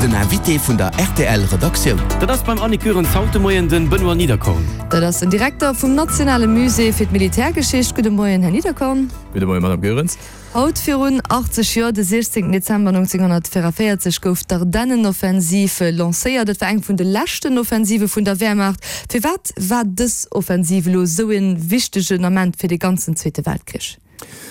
Den Invité vun der rtl Redaktioun. Dat ass beim Annick Goerens haut de Moien den Benoît Niederkorn. Dat ass den Direkter vum Nationale Musée fir d'Militärgeschicht. Gudde Moien, Här Niederkorn. Gudde Moien, Madame Goerens. Haut virun 80 Joer, de 16 Dezember 1944, gouf d'Ardennenoffensiv lancéiert. Et war eng vun de leschten Offensive vun der Wehrmacht. Firwat war dës Offensiv elo esou e wichtegen Ament fir de ganzen Zweete Weltkrich?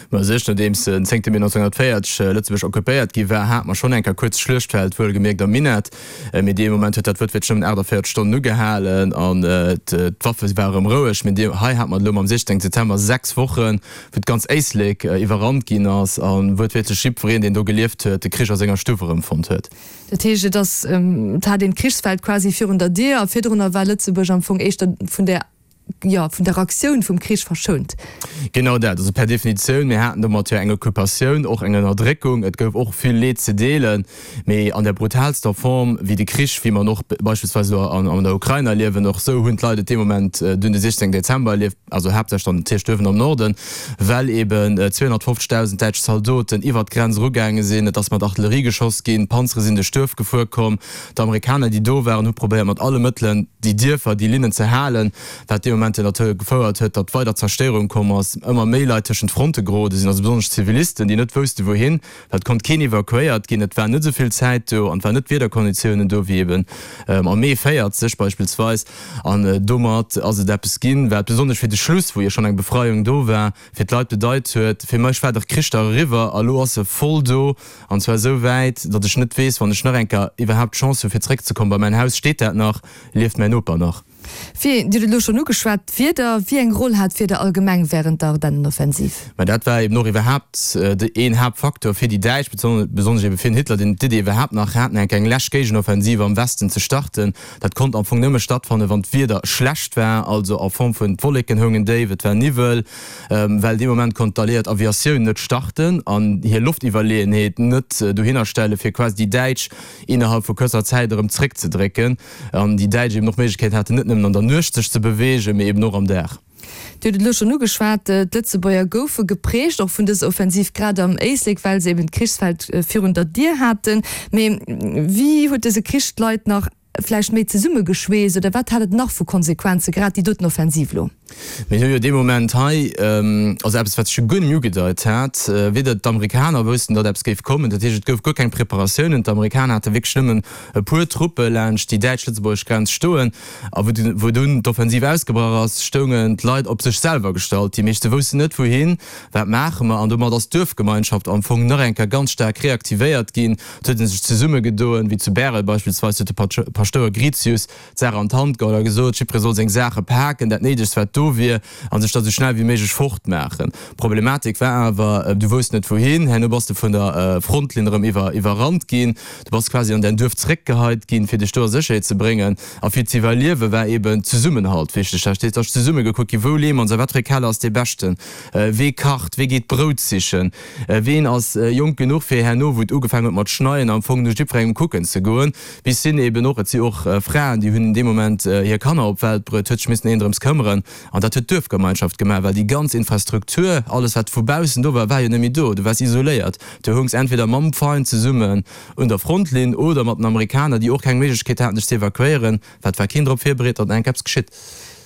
Ma u sech, nodeems den 10 Mee 1940 Lëtzebuerg occupéiert gi war, hat mer schonn eng Kéier kuerz Schluechtfeld, wuelgemierkt am Minett. Mee dee Moment huet dat wuertwiertlech nëmmen 48 Stonnen ugehalen an d'Waffe ware erëm roueg. Mee hei hat mer elo mam 16 Dezember 6 Wochen, wou d'ganz Éislek iwwerrannt ginn ass a wuertwiertlech jiddwereen, deen do gelieft huet, de Krich a senger Stuff erëmfonnt huet. Dat heescht, et ass, et hat een d'Krichsfeld quasi virun der Dier a virdrunner war Lëtzebuerg am Fong éischter vun där jo, vun der Aktioun vum Krich verschount. Genau dat. Also per Definitioun, mir haten domat jo eng Occupatioun, och eng Ënnerdréckung. Et gouf och vill Leed ze deelen, mee an der brutaalster Form wéi de Krich, wéi mer en och beispillsweis elo an der Ukrain erliewen, och esou hunn d'Leit et dee Moment dunn de 16 Dezember erlieft, also haaptsächlech dann natierlech duerwen am Norden, well eben 250.000 däitsch Zaldoten iwwert d'Grenz erugaange sinn. Et ass mat Artillerie geschoss ginn, Panzere sinn duerch d'Duerf gefuer komm. D'Amerikaner, déi do waren, hu probéiert mat alle Mëttelen déi Dierfer, déi Linnen ze halen, wat dee Moment dozou gefouert huet, datt weider Zerstéierung komm ass, ëmmer méi Leit tëschent d'Fronte gerode sinn, also besonnesch Zivilisten, déi net wousste wouhin, well et konnt keen evakuéiert ginn, et war net esou vill Zäit do an et waren net d'Wiederkonditiounen do wéi eben am Mee 40 beispillsweis. An domat ass et eppes ginn, wat besonnesch fir de Schluss, wou jo schonn eng Befreiung do war, fir d'Leit bedeit huet, Fir mech war de Krich da eriwwer a lo ass e voll do, an zwar esou wäit, datt ech net weess, wann ech nach eng Kéier iwwerhaapt d'Chance hu fir zréckzekommen. Bei mäin Haus steet dat nach, lieft mäin Noper nach. Wéi, Dir hutt et elo schonn ugeschwat, d'Wieder. Wéi eng Roll hat d'Wieder allgemeng wärend der Ardennenoffensiv? Mä dat war eben och iwwerhaapt een Haaptfaktor fir déi Däitsch, besonnesch ebe fir den Hitler, deen d'Idee iwwerhaapt nach hat, nach eng Kéier eng lescht Géigenoffensiv am Westen ze starten. Dat konnt am Fong nëmme stattfannen, wann d'Wieder schlecht war, also a Form vun d'Wolleken houngen déif, et war Niwwel, well dee Moment konnt d'alliéiert Aviatioun net starten an hir Loftiwwerleeënheet net dohinner stellen, fir quasi déi Däitsch innerhalb vu kuerzer Zäit erëm zréckzedrécken an déi Däitsch eben och d'Méiglechkeet haten, net nëmmen an der Nuecht sech ze beweegen, mee eben och am Dag. Dir hutt et elo schonn ugeschwat, d'Lëtzebuerger goufe geprägt och vun dëser Offensiv, grad am Éislek, well se eben d'Krichsfeld virun der Dier haten. Mee wéi huet dëse Krich d'Leit nach vläicht méi zesummegeschweesst oder wat hat et nach vu Konsequenzen, grad déi doten Offensiv elo? Mir hu jo dee Moment hei, also eppes, wat sech jo guer net méi ugedeit hat, weder d'Amerikaner woussten, datt eppes géif kommen, dat heescht, et gouf guer keng Preparatiounen, d'Amerikaner hate wierklech nëmmen e puer Truppe laanscht déi däitsch-lëtzebuergesch Grenz stoen. A wou dunn d'Offensiv ausgebrach ass, stoungen d'Leit op sech selwer gestallt. Déi meeschte woussten net wouhin, wat maache mer? An domat ass d'Duerfgemeinschaft am Fong nach eng Kéier ganz staark reaktivéiert ginn. Et huet ee sech zesummegedoen, wéi zu Bärel beispillsweis huet de Paschtouer Gritius d'Saach an d'Hand geholl a gesot, jiddweree soll seng Saache paken, dat Néidegst wat do wier, a sech da sou schnell wéi méiglech fortmaachen. D'Problematik war awer, du wousst net wouhin, herno bass de vun der Frontlinn erëm iwwerrannt ginn, du bass quasi an däin Duerf zeréckgeheit ginn, fir dech do a Sécherheet ze bréngen. A fir ze iwwerliewe war eben Zesummenhalt wichteg. Dat heescht, et ass zesumme gekuckt ginn, wou leeë mer ons a wat fir e Keller ass dee beschten, wee kacht, wee geet Brout sichen, ween ass jonk genuch fir herno, wou et ugefaangen huet mat schneien, am Fong no jiddwerengem kucken ze goen. Bis hin eben och, et si och Fraen, déi hunn dee Moment hir Kanner op d'Welt bruet, huet sech missen een drëms këmmeren. An dat huet d'Duerfgemeinschaft gemaach, well déi ganz Infrastruktur, alles wat vu baussen do war, war jo net méi do. Du waars isoléiert. Du houngs entweder mam Feind zesummen un der Frontlinn oder mat den Amerikaner, déi och keng Méiglechkeet haten, dech ze evakuéieren, well et war keen drop virbereet, datt enk eppes geschitt.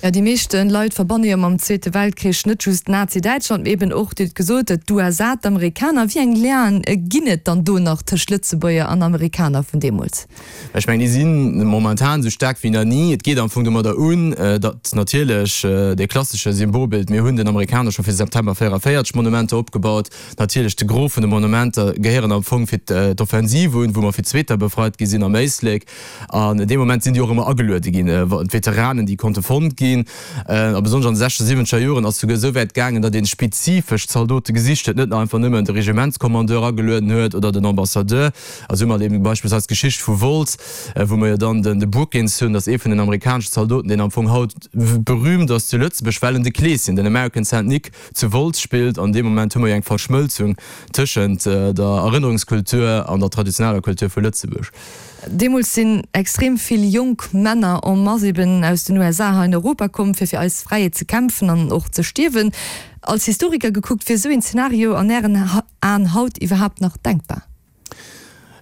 Jo, déi meeschte Leit verbanne jo mam Zweete Weltkrich net just Nazi-Däitschland, mee eben och, Dir hutt gesot, d'USA, d'Amerikaner. Wéi eng Lienen ginn et dann do nach tëscht Lëtzebuerger an Amerikaner vun deemools? Ech mengen, déi si momentan esou staark wéi nach ni. Et geet am Fong domadder un, datt natierlech dee klassesche Symbolbild, mir hunn den Amerikaner scho fir September 44 Monumenter opgebaut, Natierlech, de Gros vun de Monumenter gehéieren am Fong fir d'Offensiv un, wou mer fir d'Zweeter befreit gi sinn am Éislek. An dee Moment sinn déi och ëmmer ageluede ginn, d'Veteranen, déi konnte fonnt ginn. A besonnesch an de sechzeger, siwwenzeger Joren ass souguer esou wäit gaangen, datt ee spezifesch Zaldote gesicht huet, net einfach nëmmen de Regimentskommandeur agelueden huet oder den Ambassadeur. A sou mat eben beispillsweis d'Geschicht vu Wolz, wou mer jo dann de Brookins hunn, dat ass ee vun den amerikaneschen Zaldoten, deen am Fong haut berühmt ass zu Lëtzebuerg, well en de Kleeschen, den American Saint Nick, zu Wolz spillt. An deem Moment hu mer jo eng Verschmëlzung tëschent der Erënnerungskultur an der traditioneller Kultur vu Lëtzebuerg. Deemools sinn extrem vill jonk Männer en masse eben aus den USA hei an Europa komm, fir fir eis Fräiheet ze kämpfen an och ze stierwen. Als Historiker gekuckt, wier esou een Zenario an Ären Aen haut iwwerhaapt nach denkbar?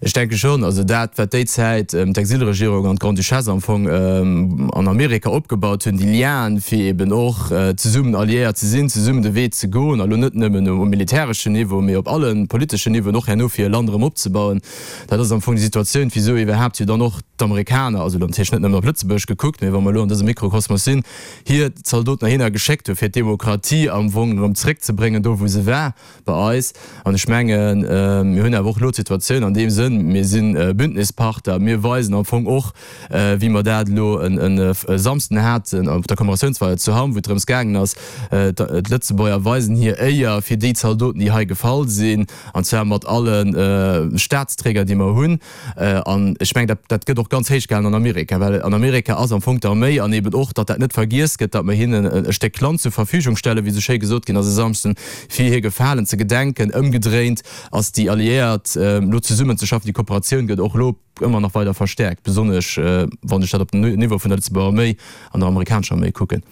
Ech denke schonn. Also dat, wat déi Zäit d'Exilregierung an d'Grande-Duchesse am Fong an Amerika opgebaut hunn, déi Lienen, fir eben och zesummen Alliéiert ze sinn, zesummen de Wee ze goen, a lo net nëmmen um militäreschen Niveau, mee op alle politeschen Niveauen, och herno fir e Land erëm opzebauen, dat ass am Fong déi Situatioun, wisou iwwerhaapt jo dann och d'Amerikaner, also elo natierlech net nëmmen op Lëtzebuerg gekuckt, mee wa mer elo an dësem Mikrokosmos sinn, hir Zaldoten heihinner geschéckt hunn, fir d'Demokratie am Fong erëm zréckzebréngen do, wou se war. Bei eis. An ech mengen, mir hunn awer och elo d'Situatioun an deem Sënn, mir si Bündnispartner, mir weisen am Fong och, wéi mer dat elo e Samsden haten op der Commemoratiounsfeier zu Hamm, wou et drëms gaangen ass, d'Lëtzebuerger weisen hir Éier fir déi Zaldoten, déi hei gefall sinn, an zwar mat alle Staatsträger, déi mer hunn. An ech mengen, dat, dat gëtt och ganz héich gehalen an Amerika, well an Amerika ass am Fong d'Arméi an eben och, datt dat net vergiess gëtt, datt mer hinnen e Stéck Land zur Verfügung stellen, wéi esou schéi gesot ginn ass e Samschden, fir hir Gefalen ze gedenken. Ëmgedréint ass déi Alliéiert elo zesummenzeschaffen, déi Kooperatioun gëtt och elo ëmmer nach weider verstäerkt, besonnesch wann ech dat op den Niveau vun der Lëtzebuerger Arméi an der amerikanescher Arméi kucken.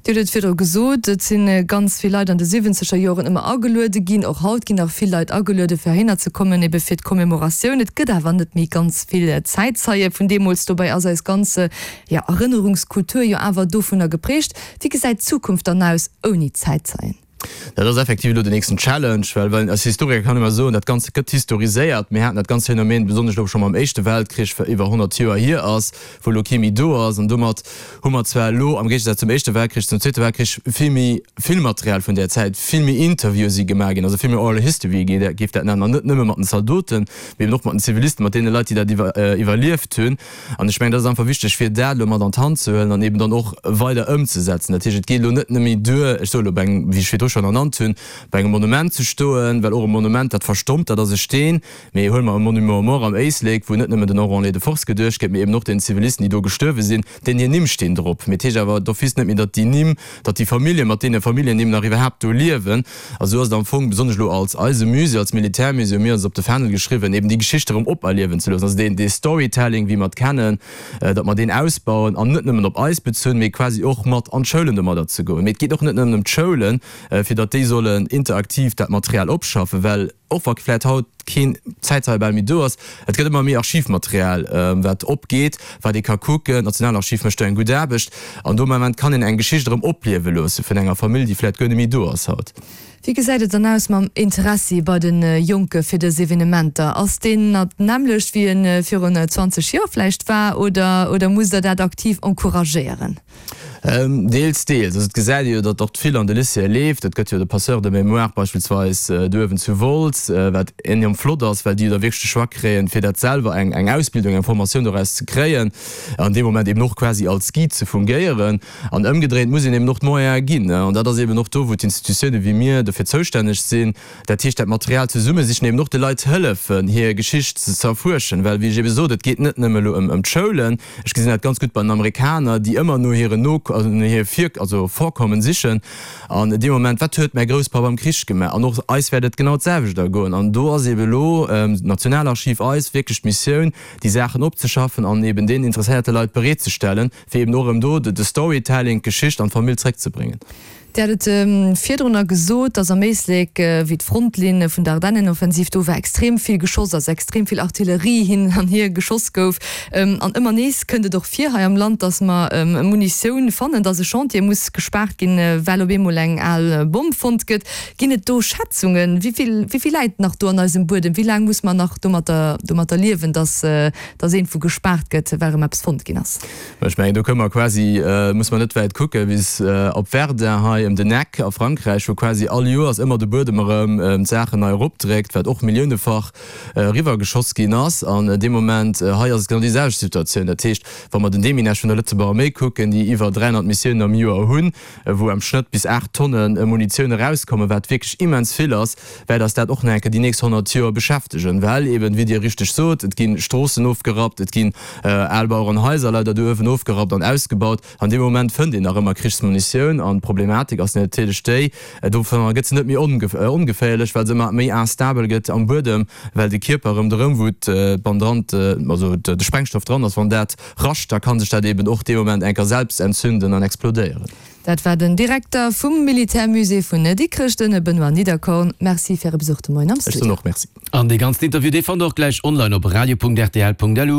Dir hutt et virdru gesot, et si ganz vill Leit an de siwwenzeger Joren ëmmer ageluede ginn. Och haut ginn nach vill Leit ageluede fir heihinner ze kommen, ebe fir d'Commémoratioun. Et gëtt awer net méi ganz vill Zäitzeie vun deemools. Dobäi ass eis ganz, jo, Erënnerungskultur jo awer dovunner geprägt. Wéi gesäit d'Zukunft dann aus ouni Zäitzeien? Dat ass effektiv elo den nächsten Challenge, well well als Historiker kann ee mar soen, dat Ganzt gëtt historiséiert. Mir haten dat ganzt Phänomen besonnesch elo scho mam Éischte Weltkrich, wat iwwer 100 Joer hier ass, wou elo kee méi do ass. An domat hu mer zwar elo am Géigesaz zum Éischte Weltkrich, zum Zweete Weltkrich vill méi Filmmaterial vun där Zäit, vill méi Interviewe si gemaach ginn, also vill méi Oral History géif dat nennen, an net nëmme mat den Zaldoten, mee eben och mat den Zivilisten, mat deene Leit, déi dat iwwerlieft hunn. An ech mengen, dat ass einfach wichteg, fir dat elo mat an d'Hand ze huelen an eben dann och weider ëmzesetzen. Dat heescht, et geet elo net nëmme duer, ech soe elo bei engem, wéi ech virdru schonn ernannt hunn, bei engem Monument ze stoen, well och e Monument, dat verstommt, dat ass e Steen. Mee huele mer e Monument aux morts am Éislek, wou net nëmme den Enrôlés de force geduecht gëtt, mee eben och den Zivilisten, déi do gestuerwe sinn, deenen hir Nimm stinn drop. Mee et heescht awer d'office net méi, datt déi Nimm, datt déi Famillje mat deene Familljennimm nach iwwerhaapt do liewen. A sou ass et am Fong, besonnesch elo als eise Musée, als Militärmusée, hu mir eis op de Fändel geschriwwen, eben déi Geschicht erëm operliewen ze loossen. Also deen, dee Storytelling, wéi mer et kennen, datt mer deen ausbauen an net nëmmen op eis bezunn, mee quasi och mat an d'Schoulen domadder ze goen. Mee et geet och net nëmmen ëm d'Schoulen, fir datt déi sollen interaktiv dat Material opschaffen, well och wa vläicht haut keen Zäitzeie bal méi do ass, et gëtt ëmmer méi Archivmaterial, wat opgeet, wat ee ka kucken. D'Nationalarchiv mécht do eng gutt Aarbecht an do am Ament kann een eng Geschicht erëm opliewe loosse vun enger Famill, déi vläicht guer net méi do ass haut. Wéi gesäit et dann aus mam Interessi bei de Jonke fir dës Evenementer? Ass deen nach d'nämmlecht wéi e virun 20 Joer vläicht war oder oder musst der dat aktiv encouragéieren? Deels, deels. Also et gesäit ee jo, datt och vill an de Lycéeë leeft. Et gëtt jo de Passeur de mémoire beispillsweis do uewen zu Wolz, wat enorm flott ass, well déi jo da wierklech de Choix kréien, fir dat selwer eng eng Ausbildung, eng Formatioun doraus ze kréien an dee Moment eben och quasi als Guide ze fungéieren. An ëmgedréint muss een eben och d'Moyene ginn. An dat ass eben och do, wou d'Institutiounen wéi mir dofir zoustänneg sinn, dat heescht dat Material zesummesichen, eben och de Leit hëllefen, hir Geschicht ze erfuerschen. Well, wéi ech ebe sot, et geet net nëmme elo ëm d'Schoulen. Ech gesinn dat ganz gutt bei den Amerikaner, déi ëmmer no hiren No, also no hir Vir, also Vorkommen sichen. An dee Moment, wat huet mäi Grousspapp am Krich gemaach? An och eis wäert et genau d'selwecht ergoen. An do ass eebe elo d'Nationalarchiv eis wierklech d'Missioun, déi Saachen opzeschaffen an eeben deenen interesséierte Leit bereetzestellen, fir eeben och erëm do de Storytelling, d'Geschicht an d'Famill zréckzebréngen. Dir hat et virdrunner gesot, dass am Éislek, wéi d'Frontlinn vun der Ardennenoffensiv do war, extrem vill geschoss ass, extrem vill Artillerie hin an hier geschoss gouf. An ëmmer nees kënnt et och vir hei am Land, dass mer Munitioun fannen, dass e Chantier muss gespaart ginn, well op eemol eng al Bomm fonnt gëtt. Ginn et do Schätzungen, wéi vill, wéi vill läit nach do an eisem Buedem? Wéi laang muss mer nach domatter, domatter liewen, dass, dass iergendwou gespaart gëtt, well erëm eppes fonnt ginn ass? Ech mengen, do kënne mer quasi, muss mer net wäit kucken, bis op Verdun hei ëm den Eck a Frankräich, wou quasi all Joers ëmmer de Buedem erëm d'Saachen nei eropdréckt, wat och milliounefach eriwwergeschoss ginn ass. An dee Moment hei ass et genau déi selwecht Situatioun. Dat heescht, wa mer den Deminage vun der Lëtzebuerger Arméi kucken, déi iwwer 300 Missiounen am Joer hunn, wou am Schnëtt bis 8 Tonne Munitioun erauskommen, wat wierklech immens vill ass, wäert eis dat och nach eng Kéier déi nächst 100 Joer beschäftegen, well eben, wéi Dir richteg sot, et gi Stroossen ofgerappt, et ginn al Bauerenhaiser leider do uewen ofgerappt an ausgebaut. An deem Moment fënnt een nach ëmmer Krichsmunitioun an d'Problematik ass natierlech déi, dovunner gëtt se net méi ongeféierlech, well se ëmmer méi instabel gëtt am Buedem, well de Kierper ronderëm, wou d'Bandran, also de Sprengstoff dran ass, wann dat rascht, da ka sech dat eben och dee Moment eng Kéier selbst entzünden an explodéieren. Dat war den Direkter vum Militärmusée vun Dikrech, den Benoît Niederkorn. Merci fir Äre Besuch de Moien am Ech soen Studio. och Merci. An dee ganzen Interview, dee fannt der och gläich online op radio.rtl.lu.